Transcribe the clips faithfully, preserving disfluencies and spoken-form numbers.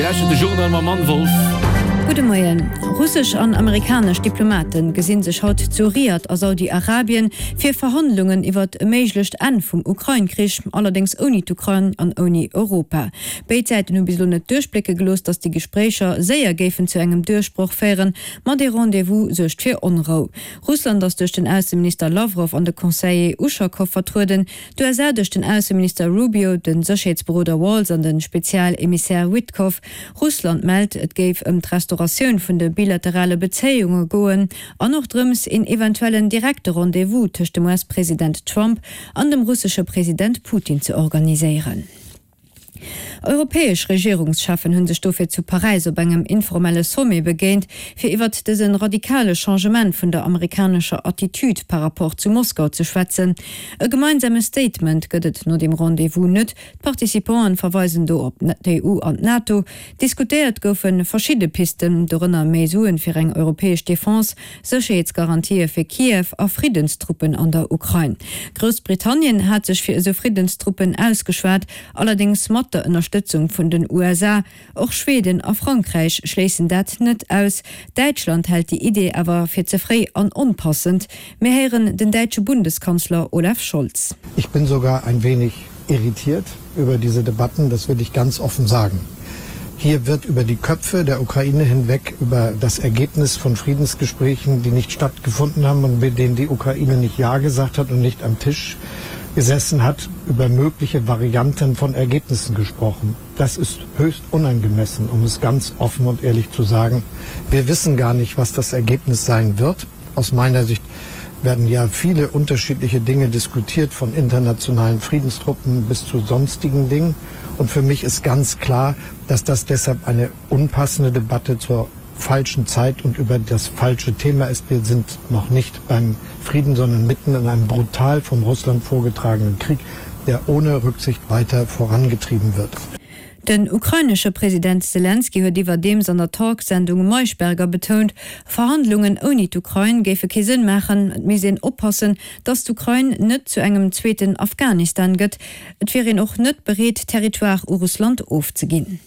Lauschtert de Journal mam Anne Wolff. Gudde Moien. Russesch an amerikanesch Diplomate gesinn sech haut zu Riad a Saudi-Arabien fir Verhandlungen iwwert e méiglecht Enn vum Ukrain-Krich, allerdéngs ouni d'Ukrain an ouni Europa. Béid Säiten hu bis elo net duerchblécke gelooss, datt déi Gespréicher séier géifen zu engem Duerchbroch féieren, ma dee Rendez-vous suergt fir Onrou. Russland ass duerch den Ausseminister Lawrow an de Conseiller Uschakow vertrueden, d'U S A duerch den Ausseminister Rubio, de Sécherheetsberoder Waltz an de Spezial-Emissär Witkoff. Russland mellt, et géif ëm d'Restauratioun vun de bilaterale Bezéiunge goen an och drëms, een eventuellen direkte Rendez-vous tëscht dem U S-President Trump an dem russesche President Putin ze organiséieren. Europäesch Regierungscheffen hu sech dofir zu Paräis op engem informelle Sommet begéint, fir iwwert dëse radikale Changement vun der amerikanescher Attitude par rapport zu Moskau ze schwätzen. E gemeinsame Statement gëtt et no deem Rendez-vous net. D'Participanten verweisen do op d'E U an d'NATO. Diskutéiert goufe verschidde Pisten, dorënner méi Suen fir eng europäesch Defense, Sécherheetsgarantië fir Kiew a Friddenstruppen an der Ukrain. Groussbritannien hat sech fir esou Friddenstruppen ausgeschwat, allerdéngs mat der Ënnerstëtzung vun den U S A. Och Schweden a Frankräich schléissen dat net aus. Däitschland hält déi Idee awer fir ze fréi an onpassend. Mir héieren den däitsche Bundeskanzler Olaf Scholz. Ich bin sogar ein wenig irritiert über diese Debatten, das will ich ganz offen sagen. Hier wird über die Köpfe der Ukraine hinweg über das Ergebnis von Friedensgesprächen, die nicht stattgefunden haben und mit denen die Ukraine nicht Ja gesagt hat und nicht am Tisch gesessen hat, über mögliche Varianten von Ergebnissen gesprochen. Das ist höchst unangemessen, um es ganz offen und ehrlich zu sagen. Wir wissen gar nicht, was das Ergebnis sein wird. Aus meiner Sicht werden ja viele unterschiedliche Dinge diskutiert, von internationalen Friedenstruppen bis zu sonstigen Dingen. Und für mich ist ganz klar, dass das deshalb eine unpassende Debatte zur falschen Zeit und über das falsche Thema ist. Wir sind noch nicht beim Frieden, sondern mitten in einem brutal von Russland vorgetragenen Krieg, der ohne Rücksicht weiter vorangetrieben wird. Den ukrainesche President Selenskyj huet iwwerdeems an der Talksendung Maischberger betount, Verhandlungen ouni d'Ukrain géife kee Sënn maachen. Et misst een oppassen, datt d'Ukrain net zu engem zweeten Afghanistan gëtt. Et wier een och net bereet, Territoire u Russland ofzeginn.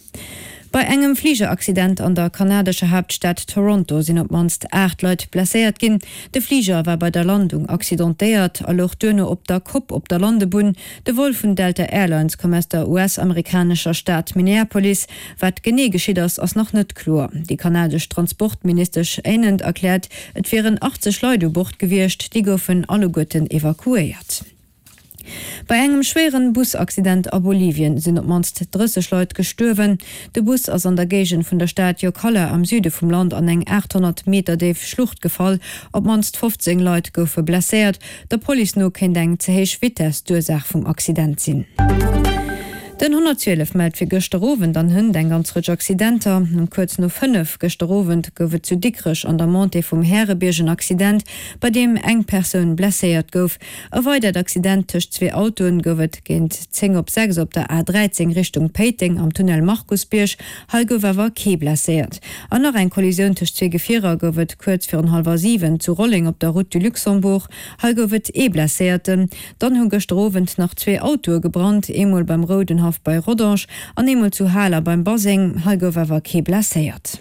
Bei engem Fligeraccident an der kanadescher Haaptstad Toronto sinn op d'mannst aacht Leit blesséiert ginn. De Fliger war bei der Landung accidentéiert a louch duerno op der Kopp op der Landebunn. De Vol vun Delta Airlines koum aus der U S-amerikanescher Stad Minneapolis. Wat genee geschitt ass, ass nach net kloer. Déi kanadesch Transportministesch Anand erkläert, et wieren achtzeg Leit u Bord gewiescht, déi goufen alleguerten evakuéiert. Bei engem schwéieren Busaccident a Bolivien sinn op d'mannst drësseg Leit gestuerwen. De Bus ass an der Géigend vun der Stad Yocalla am Süde vum Land an eng achthonnert Meter déif Schlucht gefall. Op d'mannst fofzéng Leit goufe blesséiert. Der Police no kéint eng ze héich Vitess d'Ursaach vum Accident sinn. Den honnertzwielef mellt fir gëschter Owend an hënt eng ganz Rëtsch Accidenter. Um kuerz no fënnef gëschter Owend gouf et zu Dikrech an der Montée vum Härebierg en Accident, bei deem eng Persoun blesséiert gouf. E weidert Accident tëscht zwee Autoen gouf et géint zéng op sechs op der A dräizéng Richtung Péiteng am Tunnel Markusbierg. Hei gouf awer kee blesséiert. An nach eng Kollisioun tëscht zwee Gefierer gouf et kuerz virun hallwer siwen zu Rolling op der Route du Luxembourg. Hei gouf et ee Blesséierten. Dann hu gëschter Owend nach zwee Autoe gebrannt, eemol beim Roudenhaff bei Rodange an eemol zu Haler beim Baseng. Hei gouf awer kee blesséiert.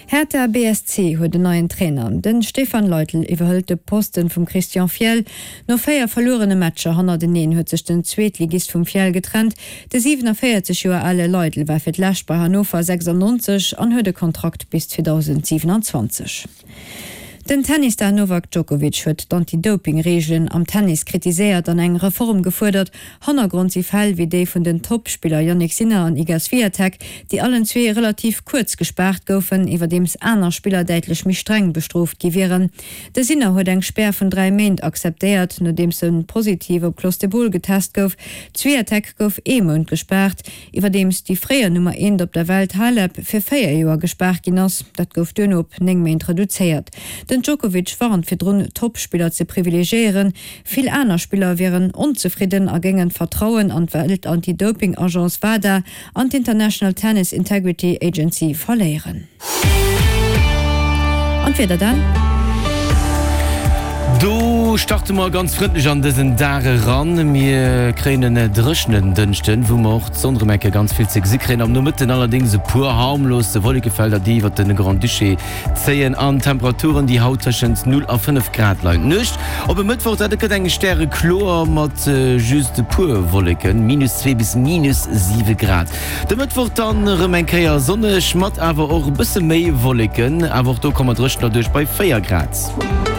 Hertha B S C huet en neien Trainer. Den Stefan Leitl iwwerhëlt de Posten vum Christian Fjell. No véier verluerene Matcher hannerteneen huet sech den Zweetligist vum Fjell getrennt. De siewenundvierzig Joer ale Leitl war fir d'Lescht bei Hannover sechsundneunzig an huet e Kontrakt bis zweitausendsiebenundzwanzig. Den Tennisstar Novak Djokovic huet d'Anti-Doping-Regeln am Tennis kritiséiert an eng Reform gefuerdert. Hannergrond si Fäll wéi déi vun den Topspiller Jannik Sinner an Iga Swiatek, déi allen zwee relativ kuerz gespaart goufen, iwwerdeems aner Spiller däitlech méi streng bestrooft gi wieren. De Sinner huet eng Spär vun dräi Méint akzeptéiert, nodeems en positiv op Clostebol getest gouf. Swiatek gouf ee Mount gespaart, iwwerdeems déi fréier Nummer eent op der Welt Halep fir véier Joer gespaart ginn ass. Dat gouf duerno op néng Méint reduzéiert. Den Djokovic warnt virdrun, Topspiller ze privilegiéieren. Vill aner Spiller wieren onzefridden a géingen d'Vertrauen an d'Welt-Anti-Doping-Agence WADA an d'International Tennis Integrity Agency verléieren. An d'Wieder dann? Do Do starte mer ganz frëndlech an dësen Dag eran. Mir kréien en dréchenen Dënschden, wou mer och d'Sonn erëm eng Kéier ganz vill ze gesi kréien. Am Nomëtten allerdéngs e puer harmlos Wollekefelder, déi iwwert de Grand-Duché zéien an Temperaturen, déi haut tëschent null a fënnef Grad leien. D'Nuecht op e Mëttwoch, dat gëtt eng stärekloer mat just e puer Wolleken, minus zwee bis minus siwe Grad. De Mëttwoch dann erëm eng Kéier sonneg, mat awer och e bësse méi Wolleken, awer och do komme mer dréchener duerch bei véier Grad.